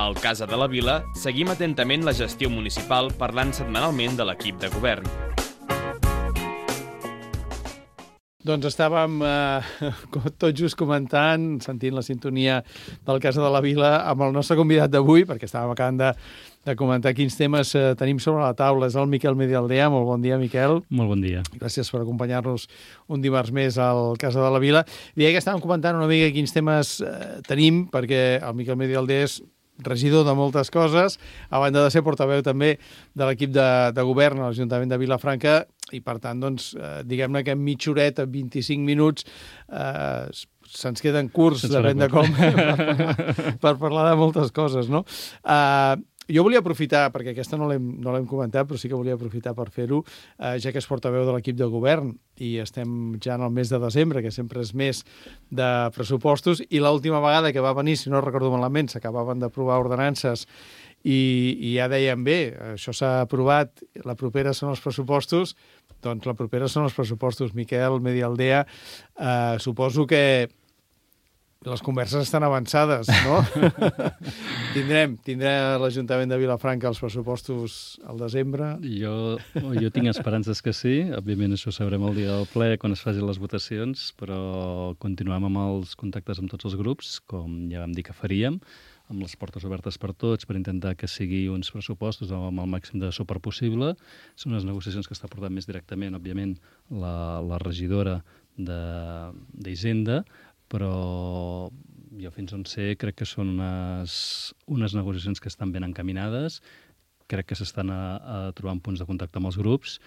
Al Casa de la Vila seguim atentament la gestió municipal parlant setmanalment de l'equip de govern. Doncs estàvem tot just comentant, sentint la sintonia del Casa de la Vila amb el nostre convidat d'avui, perquè estàvem acabant de comentar quins temes tenim sobre la taula. És el Miquel Medialdea. Molt bon dia, Miquel. Molt bon dia. Gràcies per acompanyar-nos un dimarts més al Casa de la Vila. Deia que estàvem comentant una mica quins temes tenim, perquè el Miquel Medialdea és regidor de moltes coses, a banda de ser portaveu també de l'equip de govern a l'Ajuntament de Vilafranca, i per tant, doncs, diguem-ne que en mitja horeta, 25 minuts, se'ns queden curts, depèn de com, per parlar de moltes coses, no? Jo volia aprofitar, perquè aquesta no l'hem comentat, però sí que volia aprofitar per fer-ho, ja que és portaveu de l'equip de govern i estem ja en el mes de desembre, que sempre és mes de pressupostos, i l'última vegada que va venir, si no recordo malament, s'acabaven d'aprovar ordenances i ja deien, bé, això s'ha aprovat, la propera són els pressupostos, doncs la propera són els pressupostos. Miquel Medialdea, suposo que les converses estan avançades, no? Tindrà l'Ajuntament de Vilafranca els pressupostos al desembre? Jo tinc esperances que sí. Òbviament això ho sabrem el dia del ple quan es facin les votacions, però continuem amb els contactes amb tots els grups, com ja vam dir que faríem, amb les portes obertes per tots, per intentar que sigui uns pressupostos amb el màxim de suport possible. Són unes negociacions que està portant més directament, òbviament, la regidora d'Hisenda, però jo fins on sé crec que són unes negociacions que estan ben encaminades, crec que s'estan trobant punts de contacte amb els grups,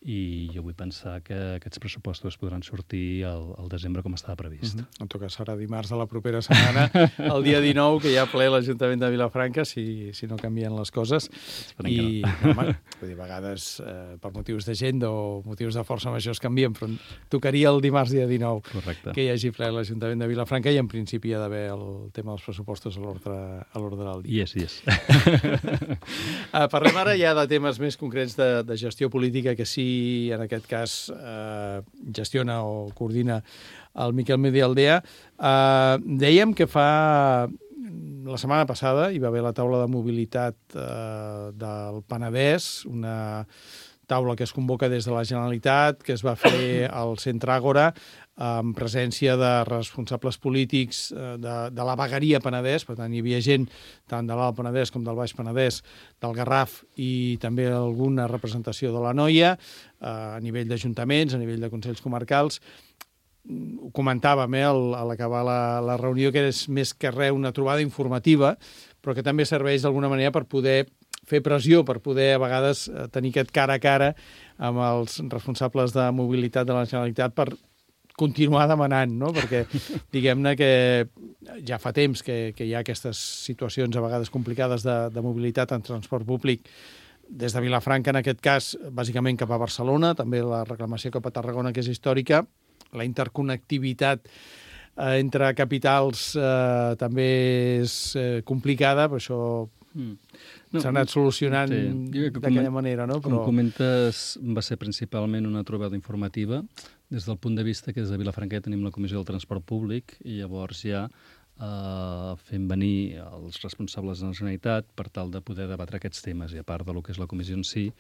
i jo vull pensar que aquests pressupostos podran sortir al desembre com estava previst. En tot cas, serà dimarts de la propera setmana, el dia 19, que hi ha ple l'Ajuntament de Vilafranca, si no canvien les coses. I, home, vull dir, a vegades, per motius d'agenda o motius de força major es canvien, però tocaria el dimarts dia 19 Correcte. Que hi hagi ple l'Ajuntament de Vilafranca, i en principi hi ha d'haver el tema dels pressupostos a l'ordre del dia. Yes. Parlem ara ja de temes més concrets de gestió política, que sí, en aquest cas gestiona o coordina el Miquel Medialdea. Dèiem que la setmana passada hi va haver la taula de mobilitat del Penedès, una taula que es convoca des de la Generalitat, que es va fer al Centre Àgora, amb presència de responsables polítics de la vegueria Penedès. Per tant, hi havia gent tant de l'Alt Penedès com del Baix Penedès, del Garraf, i també alguna representació de l'Anoia, a nivell d'ajuntaments, a nivell de consells comarcals. Ho comentàvem a l'acabar la reunió, que és més que res una trobada informativa, però que també serveix d'alguna manera per poder fer pressió, per poder a vegades tenir aquest cara a cara amb els responsables de mobilitat de la Generalitat per continuar demanant, no? Perquè diguem-ne que ja fa temps que hi ha aquestes situacions a vegades complicades de mobilitat en transport públic des de Vilafranca, en aquest cas, bàsicament cap a Barcelona, també la reclamació cap a Tarragona, que és històrica, la interconnectivitat entre capitals també és complicada, però això s'ha anat solucionant d'aquella manera, no? Com comentes, va ser principalment una trobada informativa. Des del punt de vista que des de Vilafranca ja tenim la Comissió del Transport Públic, i llavors ja fem venir els responsables de la Generalitat per tal de poder debatre aquests temes. I a part del que és la comissió en si,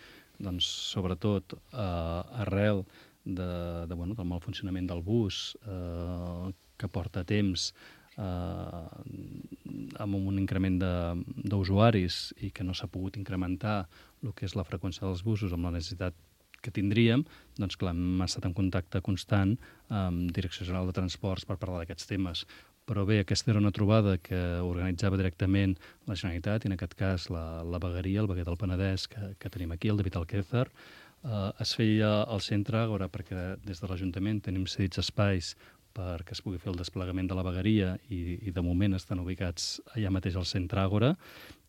doncs, sobretot arrel del mal funcionament del bus, que porta temps amb un increment d'usuaris i que no s'ha pogut incrementar el que és la freqüència dels busos amb la necessitat que tindríem, doncs clar, hem estat en contacte constant amb Direcció General de Transports per parlar d'aquests temes. Però bé, aquesta era una trobada que organitzava directament la Generalitat, i en aquest cas la vegueria, el veguer del Penedès, que tenim aquí, el David Alquézar. Es feia al Centre Àgora perquè des de l'Ajuntament tenim cedits espais perquè es pugui fer el desplegament de la vegueria, i de moment estan ubicats allà mateix al Centre Àgora.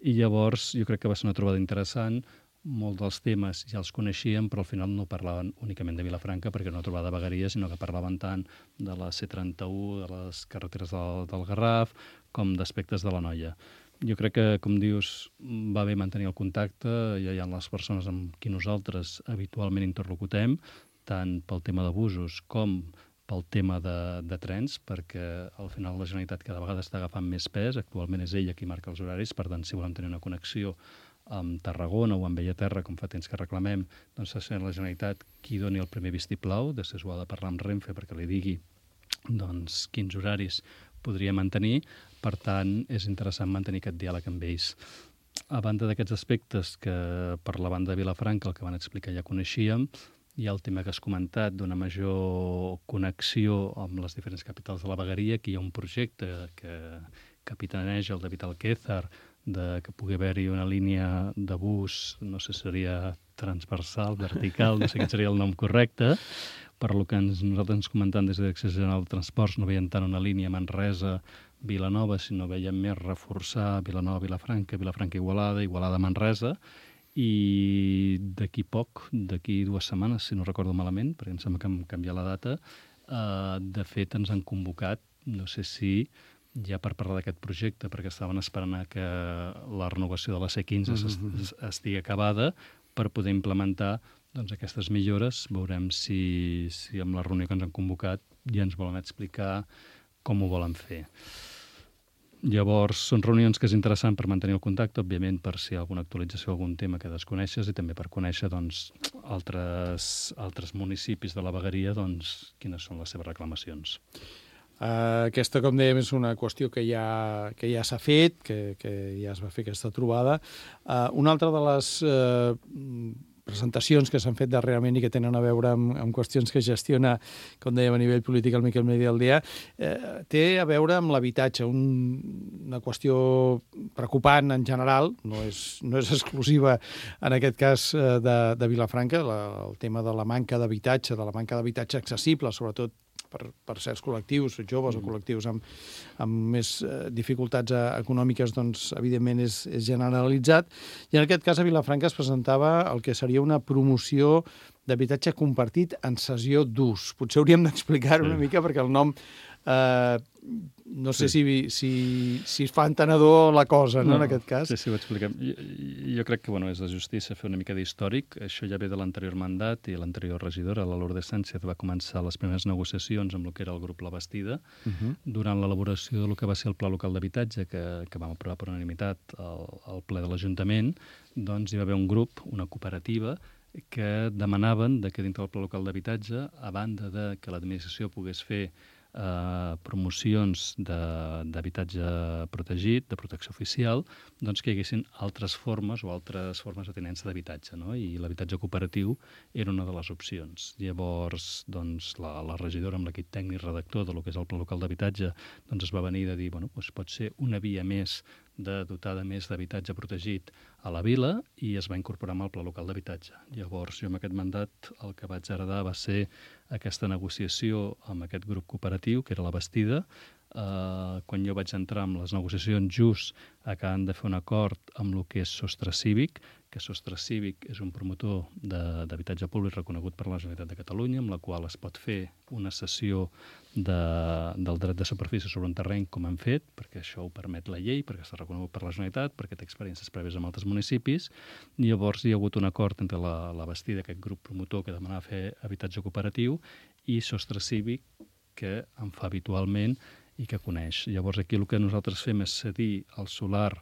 I llavors jo crec que va ser una trobada interessant. Molts dels temes ja els coneixíem, però al final no parlaven únicament de Vilafranca, perquè no trobava de vegueria, sinó que parlaven tant de la C31, de les carreteres del Garraf, com d'aspectes de l'Anoia. Jo crec que, com dius, va bé mantenir el contacte. Ja hi ha les persones amb qui nosaltres habitualment interlocutem, tant pel tema d'abusos com pel tema de trens, perquè al final la Generalitat cada vegada està agafant més pes. Actualment és ella qui marca els horaris, per tant, si volem tenir una connexió amb Tarragona o amb Bellaterra, com fa temps que reclamem, doncs ha de ser la Generalitat qui doni el primer vistiplau. Després ho ha de parlar amb Renfe perquè li digui doncs, quins horaris podria mantenir. Per tant, és interessant mantenir aquest diàleg amb ells. A banda d'aquests aspectes que per la banda de Vilafranca, el que van explicar ja coneixíem, hi ha el tema que has comentat d'una major connexió amb les diferents capitals de la vegueria. Aquí hi ha un projecte que capitaneja el David Alquézar, que pugui haver-hi una línia de bus, no sé si seria transversal, vertical, no sé quin seria el nom correcte. Per lo que nosaltres ens comentant des de Direcció General de Transports, no veiem tant una línia Manresa-Vilanova, sinó veiem més reforçar Vilanova-Vilafranca, Vilafranca-Igualada, Igualada-Manresa, i d'aquí poc, d'aquí 2 setmanes, si no recordo malament, perquè em sembla que hem canviat la data, de fet ens han convocat, no sé si ja per parlar d'aquest projecte, perquè estaven esperant que la renovació de la C15 estigui acabada per poder implementar doncs, aquestes millores. Veurem si amb la reunió que ens han convocat ja ens volen explicar com ho volen fer. Llavors, són reunions que és interessant per mantenir el contacte, òbviament per si hi ha alguna actualització, algun tema que desconeixes, i també per conèixer doncs, altres municipis de la vegueria doncs, quines són les seves reclamacions. Aquesta, com dèiem, és una qüestió que ja s'ha fet, que ja es va fer aquesta trobada. Una altra de les presentacions que s'han fet darrerament i que tenen a veure amb qüestions que gestiona, com dèiem, a nivell polític el Miquel Medialdea, té a veure amb l'habitatge, una qüestió preocupant en general, no és exclusiva en aquest cas de Vilafranca, el tema de la manca d'habitatge, accessible, sobretot per certs col·lectius, joves o col·lectius amb més dificultats econòmiques, doncs, evidentment, és generalitzat. I en aquest cas, a Vilafranca es presentava el que seria una promoció d'habitatge compartit en cessió d'ús. Potser hauríem d'explicar-ho una mica, perquè el nom no sé si es fa entenedor la cosa, no, en aquest cas. Sí, ho expliquem. Jo crec que és de justícia fer una mica d'històric. Això ja ve de l'anterior mandat i l'anterior regidora, la Lourdes Sánchez, va començar les primeres negociacions amb el que era el grup La Bastida. Durant l'elaboració del que va ser el Pla Local d'Habitatge, que vam aprovar per unanimitat al ple de l'Ajuntament, doncs hi va haver un grup, una cooperativa, que demanaven que dintre del Pla Local d'Habitatge, a banda de que l'administració pogués fer promocions d'habitatge protegit, de protecció oficial, doncs que hi haguessin altres formes de tinença d'habitatge, no? I l'habitatge cooperatiu era una de les opcions. Llavors, doncs, la regidora amb l'equip tècnic redactor del que és el Pla Local d'Habitatge doncs es va venir de dir, pot ser una via més de dotar de més d'habitatge protegit a la vila, i es va incorporar amb el Pla Local d'Habitatge. Llavors, jo amb aquest mandat el que vaig heredar va ser aquesta negociació amb aquest grup cooperatiu, que era La Bastida. Quan jo vaig entrar amb les negociacions, just acaben de fer un acord amb el que és Sostre Cívic, que Sostre Cívic és un promotor d'habitatge públic reconegut per la Generalitat de Catalunya, amb la qual es pot fer una cessió del dret de superfície sobre un terreny, com han fet, perquè això ho permet la llei, perquè està reconegut per la Generalitat, perquè té experiències prèvies amb altres municipis. Llavors hi ha hagut un acord entre la Bastida, aquest grup promotor que demanava fer habitatge cooperatiu, i Sostre Cívic, que en fa habitualment i que coneix. Llavors aquí el que nosaltres fem és cedir el solar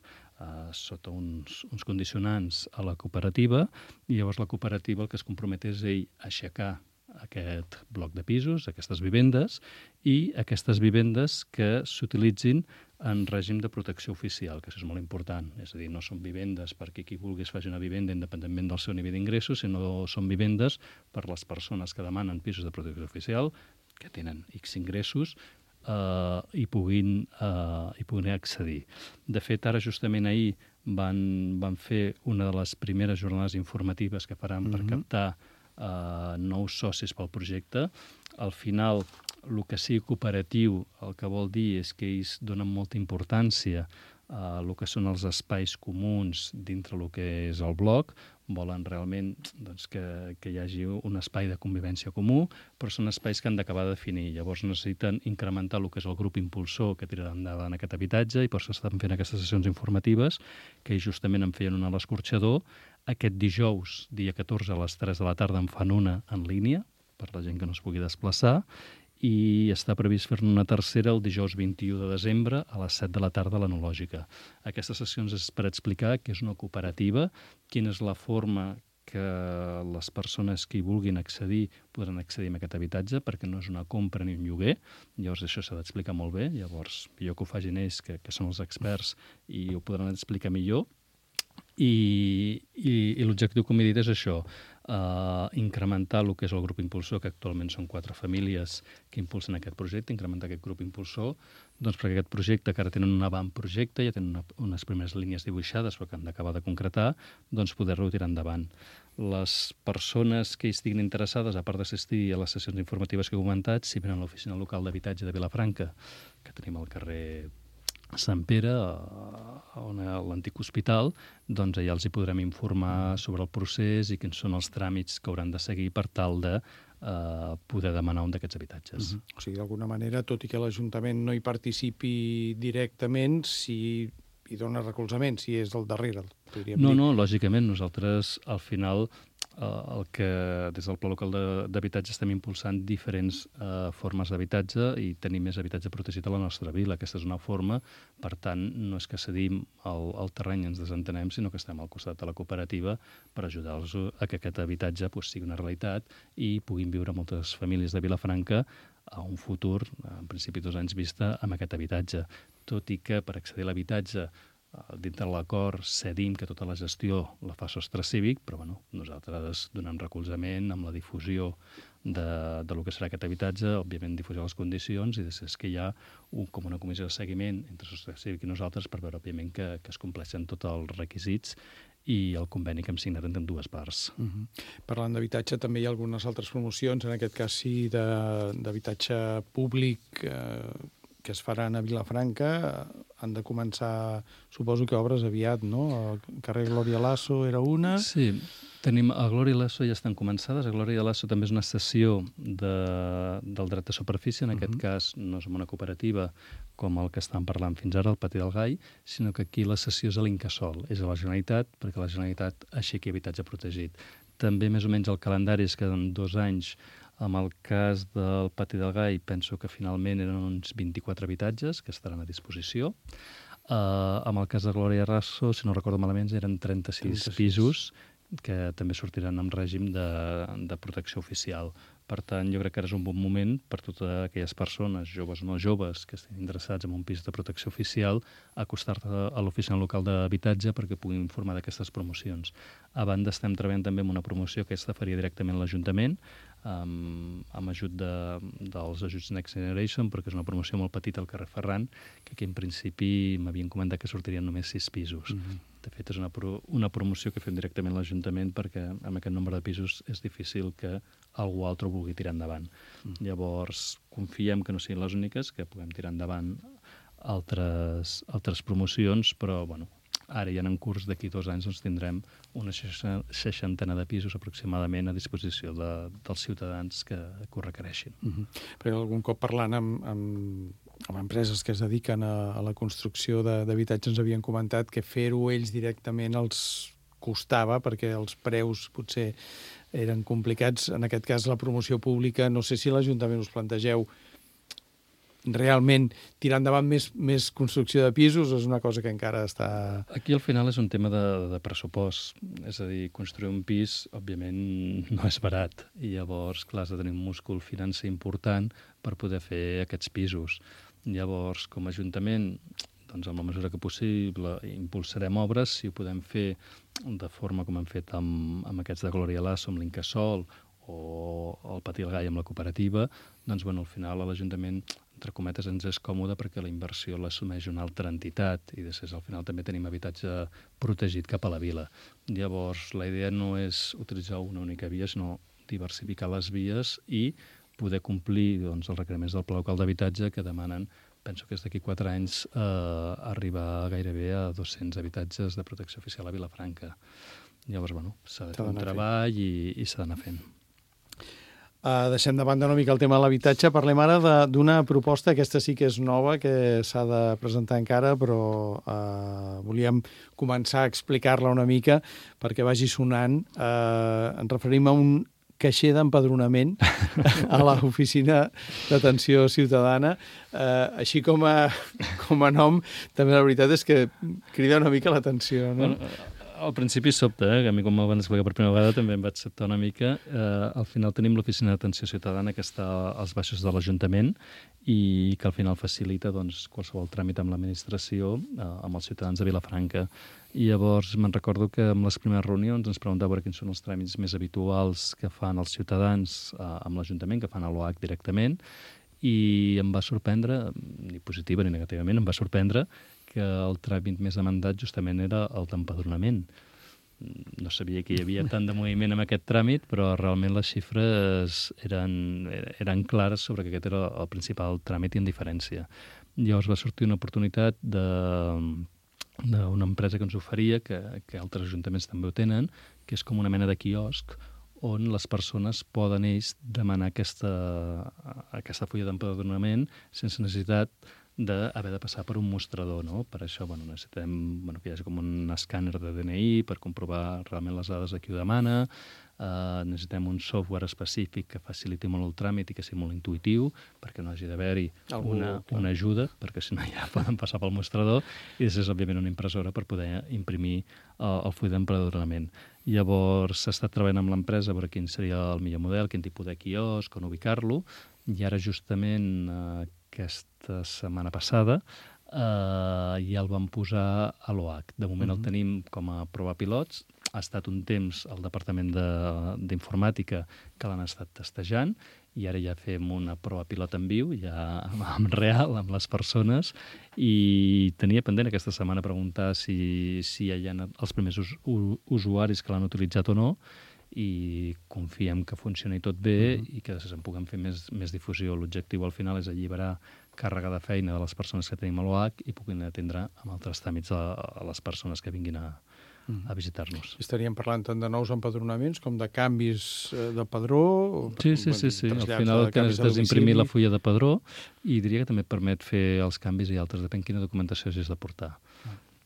sota uns condicionants a la cooperativa, i llavors la cooperativa el que es compromet és ell aixecar aquest bloc de pisos, aquestes vivendes, i aquestes vivendes que s'utilitzin en règim de protecció oficial, que això és molt important. És a dir, no són vivendes perquè qui vulguis faci una vivenda independentment del seu nivell d'ingressos, sinó són vivendes per les persones que demanen pisos de protecció oficial, que tenen X ingressos, i puguin accedir. De fet, ara justament ahir van fer una de les primeres jornades informatives que faran per captar nous socis pel projecte. Al final, el que sigui cooperatiu, el que vol dir és que ells donen molta importància a el que són els espais comuns dintre el que és el bloc. Volen realment que hi hagi un espai de convivència comú, però són espais que han d'acabar de definir. Llavors necessiten incrementar el que és el grup impulsor que tirarà endavant aquest habitatge, i per això estan fent aquestes sessions informatives, que justament en feien una a l'Escorxador. Aquest dijous, dia 14, a les 3 de la tarda, en fan una en línia, per la gent que no es pugui desplaçar, i està previst fer-ne una tercera el dijous 21 de desembre a les 7 de la tarda a l'Enològica. Aquestes sessions és per explicar què és una cooperativa, quina és la forma que les persones que hi vulguin accedir podran accedir a aquest habitatge, perquè no és una compra ni un lloguer. Llavors això s'ha d'explicar molt bé. Llavors millor que ho facin ells, que són els experts, i ho podran explicar millor. I l'objectiu, com he dit, és això, incrementar el que és el grup impulsor, que actualment són 4 famílies que impulsen aquest projecte, incrementar aquest grup impulsor, doncs perquè aquest projecte, que ara tenen un avantprojecte, ja tenen unes primeres línies dibuixades, però que han d'acabar de concretar, doncs poder-lo tirar endavant. Les persones que hi estiguin interessades, a part d'assistir a les sessions informatives que he comentat, si venen a l'oficina local d'habitatge de Vilafranca, que tenim al carrer Sant Pere, on hi ha l'antic hospital, doncs allà els hi podrem informar sobre el procés i quins són els tràmits que hauran de seguir per tal de poder demanar un d'aquests habitatges. O sigui, d'alguna manera, tot i que l'Ajuntament no hi participi directament, si hi dona recolzament, si és del darrere, podríem dir. No, lògicament, nosaltres al final el que des del Pla Local d'Habitatge estem impulsant diferents formes d'habitatge i tenir més habitatge protegit a la nostra vila. Aquesta és una forma, per tant, no és que cedim el terreny i ens desentenem, sinó que estem al costat de la cooperativa per ajudar-los a que aquest habitatge sigui una realitat i puguin viure moltes famílies de Vilafranca a un futur, en principi 2 anys vista, amb aquest habitatge. Tot i que per accedir a l'habitatge dintre l'acord cedim que tota la gestió la fa Sostre Cívic, però nosaltres donem recolzament amb la difusió de lo que serà aquest habitatge, òbviament difusió les condicions, i després que hi ha com una comissió de seguiment entre Sostre Cívic i nosaltres per veure, òbviament, que es compleixen tots els requisits i el conveni que hem signat entre ambdues parts. Parlant d'habitatge, també hi ha algunes altres promocions, en aquest cas sí, d'habitatge públic que es faran a Vilafranca. Han de començar, suposo que obres aviat, no? El carrer Glòria Lasso era una. Sí, tenim a Glòria Lasso ja estan començades. A Glòria Lasso també és una cessió del dret de superfície. En aquest cas no és una cooperativa com el que estàvem parlant fins ara, el Patí del Gai, sinó que aquí la cessió és a l'Incasòl, és a la Generalitat, perquè la Generalitat aixequi habitatge protegit. També més o menys el calendari és que en 2 anys, amb el cas del Patí del Gai, penso que finalment eren uns 24 habitatges que estaran a disposició. Amb el cas de Glòria Lasso, si no recordo malament, eren 36 pisos que també sortiran en règim de protecció oficial. Per tant, jo crec que ara és un bon moment per totes aquelles persones, joves o no joves, que estiguin interessats en un pis de protecció oficial, acostar-te a l'oficina local d'habitatge perquè puguin informar d'aquestes promocions. A banda, estem treballant també en una promoció que aquesta faria directament l'Ajuntament, amb ajut dels ajuts Next Generation, perquè és una promoció molt petita al carrer Ferran, que aquí en principi m'havien comentat que sortirien només 6 pisos. De fet, és una promoció que fem directament a l'Ajuntament perquè amb aquest nombre de pisos és difícil que algú altre ho vulgui tirar endavant. Llavors, confiem que no siguin les úniques, que puguem tirar endavant altres promocions, però, ara ja en curs d'aquí 2 anys doncs, tindrem una 60 de pisos aproximadament a disposició dels ciutadans que ho requereixin. Perquè algun cop parlant amb empreses que es dediquen a la construcció d'habitatges ens havien comentat que fer-ho ells directament els costava perquè els preus potser eren complicats. En aquest cas, la promoció pública, no sé si l'Ajuntament us plantegeu realment tirar endavant més construcció de pisos o és una cosa que encara està... Aquí al final és un tema de pressupost. És a dir, construir un pis, òbviament, no és barat. I llavors, clar, has de tenir un múscul financer important per poder fer aquests pisos. Llavors, com a Ajuntament, doncs, en la mesura que possible, impulsarem obres. Si ho podem fer de forma com hem fet amb aquests de Glòria Lasso, amb l'Incasòl, o el Patí del Gai amb la cooperativa, doncs, al final a l'Ajuntament, entre cometes, ens és còmode perquè la inversió l'assumeix una altra entitat i després al final també tenim habitatge protegit cap a la vila. Llavors, la idea no és utilitzar una única via, sinó diversificar les vies i poder complir els requeriments del Pla Local d'Habitatge que demanen, penso que és d'aquí 4 anys, arribar gairebé a 200 habitatges de protecció oficial a Vilafranca. Llavors, s'ha de fer un treball i s'ha d'anar fent. Deixem de banda una mica el tema de l'habitatge. Parlem ara d'una proposta, aquesta sí que és nova, que s'ha de presentar encara, però volíem començar a explicar-la una mica perquè vagi sonant. Ens referim a un caixer d'empadronament a l'oficina d'atenció ciutadana. Així com a nom, també la veritat és que crida una mica l'atenció, no? Bueno, al principi sobta, que a mi com m'ho van explicar per primera vegada també em vaig sobtar una mica. Al final tenim l'oficina d'atenció ciutadana que està als baixos de l'Ajuntament i que al final facilita doncs, qualsevol tràmit amb l'administració amb els ciutadans de Vilafranca. I llavors me'n recordo que en les primeres reunions ens preguntava quins són els tràmits més habituals que fan els ciutadans amb l'Ajuntament, que fan a l'OAC directament, i em va sorprendre, ni positiva ni negativament, em va sorprendre que el tràmit més demandat justament era el d'empadronament. No sabia que hi havia tant de moviment amb aquest tràmit, però realment les xifres eren clares sobre que aquest era el principal tràmit i en diferència. Llavors va sortir una oportunitat d'una empresa que ens oferia, que altres ajuntaments també ho tenen, que és com una mena de quiosc on les persones poden ells demanar aquesta fulla d'empadronament sense necessitat d'haver de passar per un mostrador, no? Per això necessitem que hi hagi com un escàner de DNI per comprovar realment les dades de qui ho demana, necessitem un software específic que faciliti molt el tràmit i que sigui molt intuïtiu perquè no hagi d'haver-hi una ajuda, perquè si no ja poden passar pel mostrador, i després, òbviament, una impressora per poder imprimir el full d'empadronament. Llavors s'ha estat treballant amb l'empresa a veure quin seria el millor model, quin tipus de quiosc, on ubicar-lo, i ara justament aquesta setmana passada ja el vam posar a l'OAC. De moment el tenim com a prova pilots. Ha estat un temps al Departament d'Informàtica que l'han estat testejant i ara ja fem una prova pilot en viu, ja en real, amb les persones, i tenia pendent aquesta setmana preguntar si ja hi ha els primers usuaris que l'han utilitzat o no, i confiem que funcioni tot bé i que després en puguem fer més difusió. L'objectiu al final és alliberar càrrega de feina de les persones que tenim a l'OAC i puguin atendre amb altres tràmits a les persones que vinguin a visitar-nos. Estaríem parlant tant de nous empadronaments com de canvis de padró? Sí. Al final el que necessites és imprimir la fulla de padró i diria que també et permet fer els canvis i altres, depèn quina documentació hagis de portar.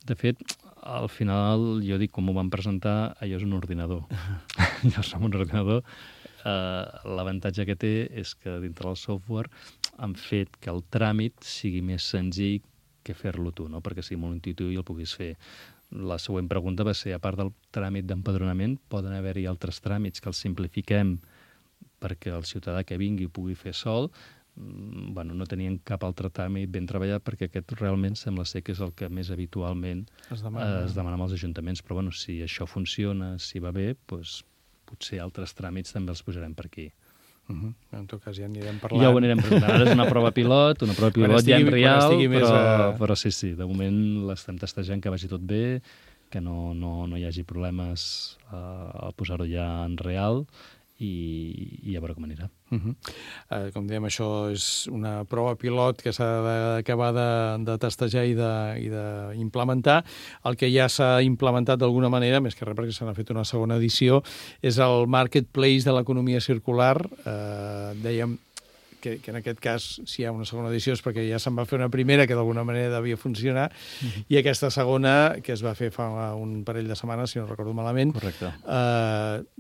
De fet, al final, jo dic, com ho van presentar, allò és un ordinador. Llavors, amb un ordinador, l'avantatge que té és que dintre del software han fet que el tràmit sigui més senzill que fer-lo tu, no? Perquè sigui molt intuïtiu i el puguis fer. La següent pregunta va ser, a part del tràmit d'empadronament, poden haver-hi altres tràmits que els simplifiquem perquè el ciutadà que vingui pugui fer sol. No tenien cap altre tràmit ben treballat perquè aquest realment sembla ser que és el que més habitualment es demana als ajuntaments. Però si això funciona, si va bé, doncs potser altres tràmits també els posarem per aquí. En tot cas ja anirem parlant. Ja ho anirem presentant. Ara és una prova pilot ja en real, però sí, de moment l'estem testejant que vagi tot bé, que no hi hagi problemes al posar-ho ja en real, i a veure com anirà. Com dèiem, això és una prova pilot que s'ha d'acabar de testejar i d'implementar. El que ja s'ha implementat d'alguna manera, més que res perquè se n'ha fet una segona edició, és el marketplace de l'economia circular. Dèiem que en aquest cas, si hi ha una segona edició, és perquè ja se'n va fer una primera que d'alguna manera devia funcionar, i aquesta segona, que es va fer fa un parell de setmanes, si no recordo malament,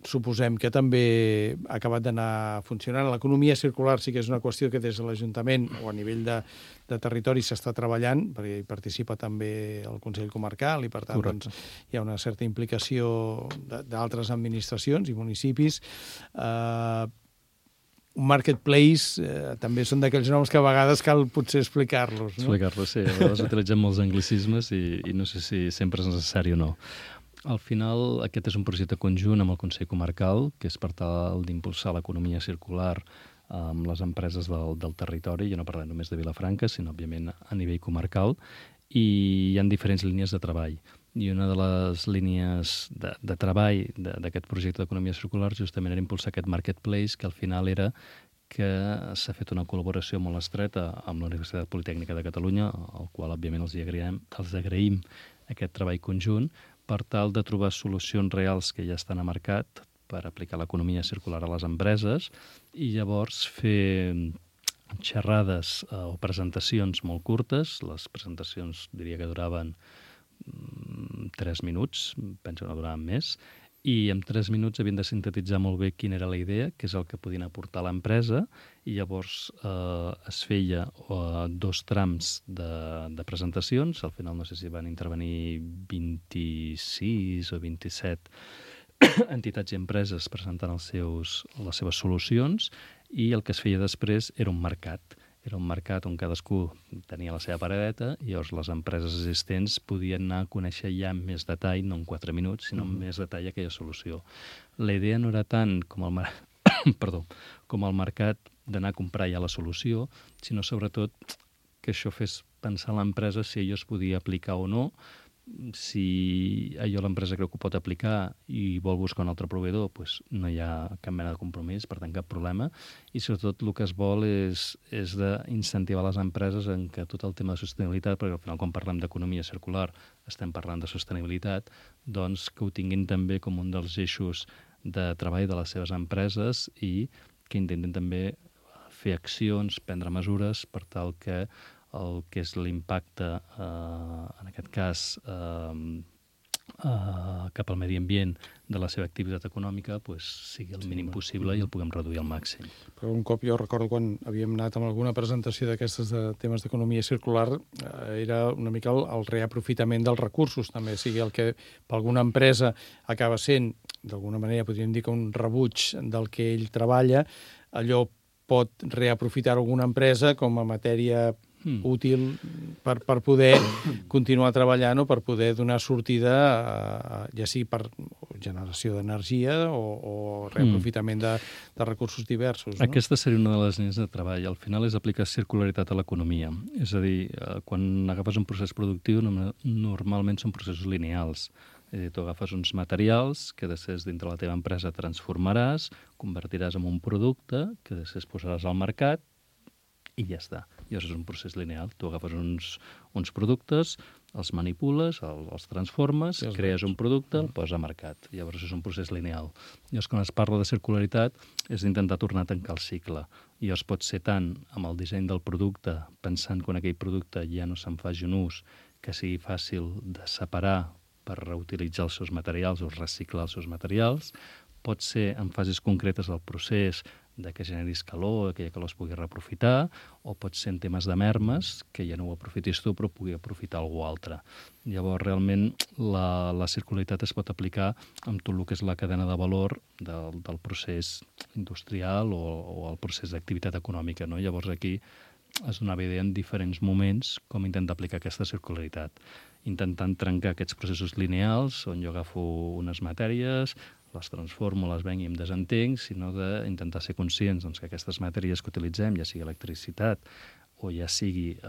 suposem que també ha acabat d'anar funcionant. L'economia circular sí que és una qüestió que des de l'Ajuntament o a nivell de territori s'està treballant, perquè hi participa també el Consell Comarcal i, per tant, doncs, hi ha una certa implicació d'altres administracions i municipis. Un marketplace també són d'aquells noms que a vegades cal potser explicar-los, no? Explicar-los, sí. A vegades utilitzem molts anglicismes i no sé si sempre és necessari o no. Al final, aquest és un projecte conjunt amb el Consell Comarcal, que és per tal d'impulsar l'economia circular amb les empreses del territori. Jo no parlo només de Vilafranca, sinó, òbviament, a nivell comarcal, i hi ha diferents línies de treball. I una de les línies de treball d'aquest projecte d'economia circular justament era impulsar aquest marketplace, que al final era que s'ha fet una col·laboració molt estreta amb la Universitat Politècnica de Catalunya, al qual, òbviament, els agraïm aquest treball conjunt, per tal de trobar solucions reals que ja estan a mercat per aplicar l'economia circular a les empreses i llavors fer xerrades o presentacions molt curtes. Les presentacions diria que duraven 3 minuts, penso que no duraven més, i en 3 minuts havien de sintetitzar molt bé quina era la idea, què és el que podien aportar a l'empresa, i llavors es feia 2 trams de presentacions. Al final no sé si van intervenir 26 o 27 entitats i empreses presentant les seves solucions, i el que es feia després era un mercat. Era un mercat on cadascú tenia la seva paradeta i llavors les empreses existents podien anar a conèixer ja amb més detall, no en 4 minuts, sinó amb més detall aquella solució. La idea no era tant com el mercat d'anar a comprar ja la solució, sinó sobretot que això fes pensar a l'empresa si allò es podia aplicar o no, si allò l'empresa creu que ho pot aplicar i vol buscar un altre proveïdor, doncs no hi ha cap mena de compromís, per tant cap problema, i sobretot el que es vol és d'incentivar les empreses en que tot el tema de sostenibilitat, perquè al final quan parlem d'economia circular estem parlant de sostenibilitat, doncs que ho tinguin també com un dels eixos de treball de les seves empreses i que intentin també fer accions, prendre mesures per tal que el que és l'impacte, en aquest cas, cap al medi ambient de la seva activitat econòmica sigui el mínim possible i el puguem reduir al màxim. Però un cop jo recordo quan havíem anat amb alguna presentació d'aquestes de temes d'economia circular, era una mica el reaprofitament dels recursos, també, sigui el que per alguna empresa acaba sent, d'alguna manera podríem dir que un rebuig del que ell treballa, allò pot reaprofitar alguna empresa com a matèria útil per poder continuar treballant o per poder donar sortida, ja sigui per generació d'energia o reaprofitament de recursos diversos. No? Aquesta seria una de les línies de treball. Al final és aplicar circularitat a l'economia. És a dir, quan agafes un procés productiu, normalment són processos lineals. És a dir, tu agafes uns materials que després dintre la teva empresa transformaràs, convertiràs en un producte que després posaràs al mercat i ja està. Llavors és un procés lineal. Tu agafes uns productes, els manipules, els transformes, crees un producte, el poses a mercat. Llavors és un procés lineal. Llavors quan es parla de circularitat és d'intentar tornar a tancar el cicle. Llavors pot ser tant amb el disseny del producte, pensant que en aquell producte ja no se'n faci un ús, que sigui fàcil de separar per reutilitzar els seus materials o reciclar els seus materials. Pot ser en fases concretes del procés de que generis calor, que aquella calor es pugui reaprofitar, o pot ser en temes de mermes, que ja no ho aprofitis tu, però pugui aprofitar algú altre. Llavors, realment, la circularitat es pot aplicar amb tot el que és la cadena de valor del procés industrial o el procés d'activitat econòmica. No? Llavors, aquí es donava idea en diferents moments com intentar aplicar aquesta circularitat, intentant trencar aquests processos lineals, on jo agafo unes matèries, les transformo, les venc i em desentenc, sinó d'intentar ser conscients que aquestes matèries que utilitzem, ja sigui electricitat o ja sigui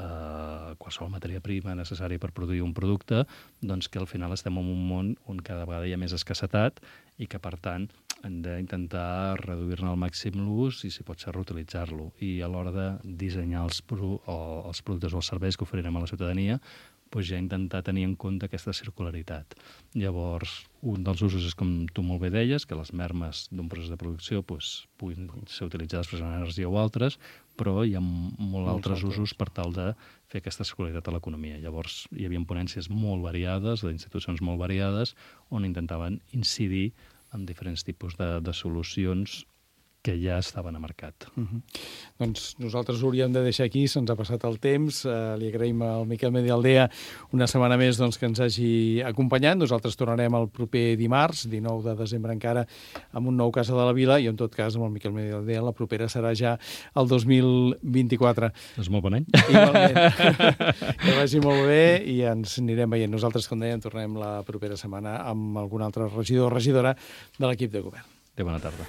qualsevol matèria prima necessària per produir un producte, doncs que al final estem en un món on cada vegada hi ha més escassetat i que, per tant, hem d'intentar reduir-ne al màxim l'ús i, si pot ser, reutilitzar-lo. I a l'hora de dissenyar els productes o els serveis que oferirem a la ciutadania, doncs ja intentar tenir en compte aquesta circularitat. Llavors, un dels usos és, com tu molt bé deies, que les mermes d'un procés de producció puguin ser utilitzades per generar energia o altres, però hi ha molts altres usos per tal de fer aquesta circularitat a l'economia. Llavors, hi havia ponències molt variades, d'institucions molt variades, on intentaven incidir en diferents tipus de solucions que ja estaven a mercat. Doncs nosaltres ho hauríem de deixar aquí, se'ns ha passat el temps. Li agraïm al Miquel Medialdea una setmana més que ens hagi acompanyat. Nosaltres tornarem el proper dimarts, 19 de desembre encara, amb un nou Casa de la Vila, i en tot cas amb el Miquel Medialdea la propera serà ja el 2024. És molt bon any. Igualment. Que vagi molt bé i ens anirem veient. Nosaltres, com dèiem, tornem la propera setmana amb algun altre regidor o regidora de l'equip de govern. Bona tarda.